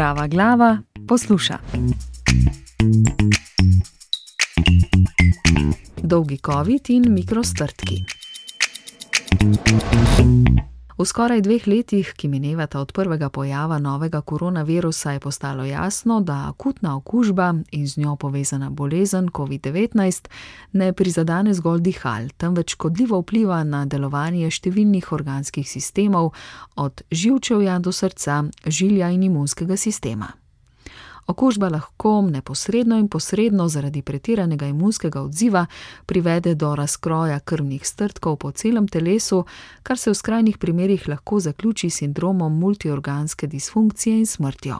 Zdrava glava posluša. Dolgi covid in mikrostrdki. V skoraj 2 letih, ki minevata od prvega pojava novega koronavirusa, je postalo jasno, da akutna okužba in z njo povezana bolezen COVID-19 ne prizadene zgolj dihal, temveč škodljivo vpliva na delovanje številnih organskih sistemov, od živčevja do srca, žilja in imunskega sistema. Okužba lahko neposredno in posredno zaradi pretiranega imunskega odziva privede do razkroja krvnih strdkov po celem telesu, kar se v skrajnih primerih lahko zaključi s sindromom multiorganske disfunkcije in smrtjo.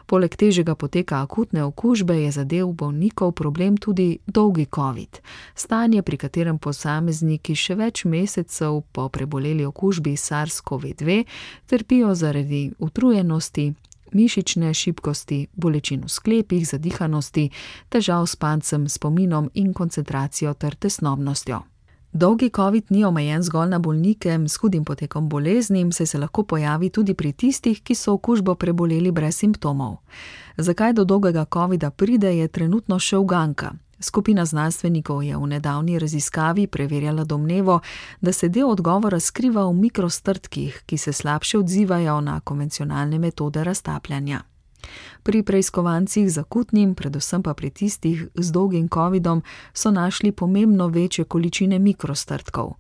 Poleg težjega poteka akutne okužbe je za del bolnikov problem tudi dolgi covid, stanje, pri katerem posamezniki še več mesecev po preboleli okužbi SARS-CoV-2 trpijo zaradi utrujenosti, mišične šibkosti, bolečin v sklepih, zadihanosti, težav s spancem, spominom in koncentracijo ter tesnobnostjo. Dolgi covid ni omejen zgolj na bolnike s hudim potekom bolezni, saj se lahko pojavi tudi pri tistih, ki so okužbo preboleli brez simptomov. Zakaj do dolgega covida pride, je trenutno še uganka. Skupina znanstvenikov je v nedavni raziskavi preverjala domnevo, da se del odgovora skriva v mikrostrdkih, ki se slabše odzivajo na konvencionalne metode raztapljanja. Pri preiskovancih z akutnim, predvsem pa pri tistih z dolgim covidom, so našli pomembno večje količine mikrostrdkov.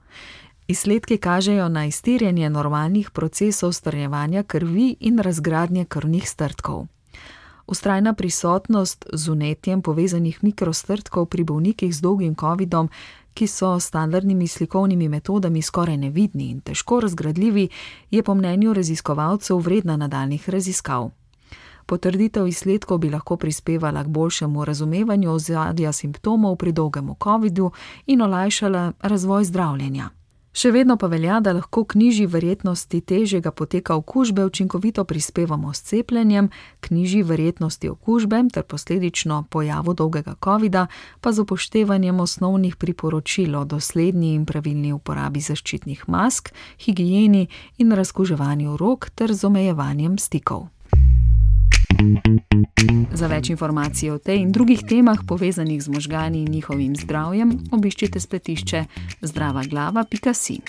Izsledki kažejo na iztirjanje normalnih procesov strjevanja krvi in razgradnje krvnih strdkov. Vztrajna prisotnost z vnetjem povezanih mikrostrdkov pri bolnikih z dolgim covidom, ki so s standardnimi slikovnimi metodami skoraj nevidni in težko razgradljivi, je po mnenju raziskovalcev vredna nadaljnjih raziskav. Potrditev izsledkov bi lahko prispevala k boljšemu razumevanju ozadja simptomov pri dolgem covidu in olajšala razvoj zdravljenja. Še vedno pa velja, da lahko k nižji verjetnosti težjega poteka okužbe učinkovito prispevamo s cepljenjem, k nižji verjetnosti okužbe ter posledično pojavu dolgega covida pa z upoštevanjem osnovnih priporočil o dosledni in pravilni uporabi zaščitnih mask, higieni in razkuževanju rok ter z omejevanjem stikov. Za več informacij o tej in drugih temah povezanih z možgani in njihovim zdravjem, obiščite spletišče zdravaglava.si.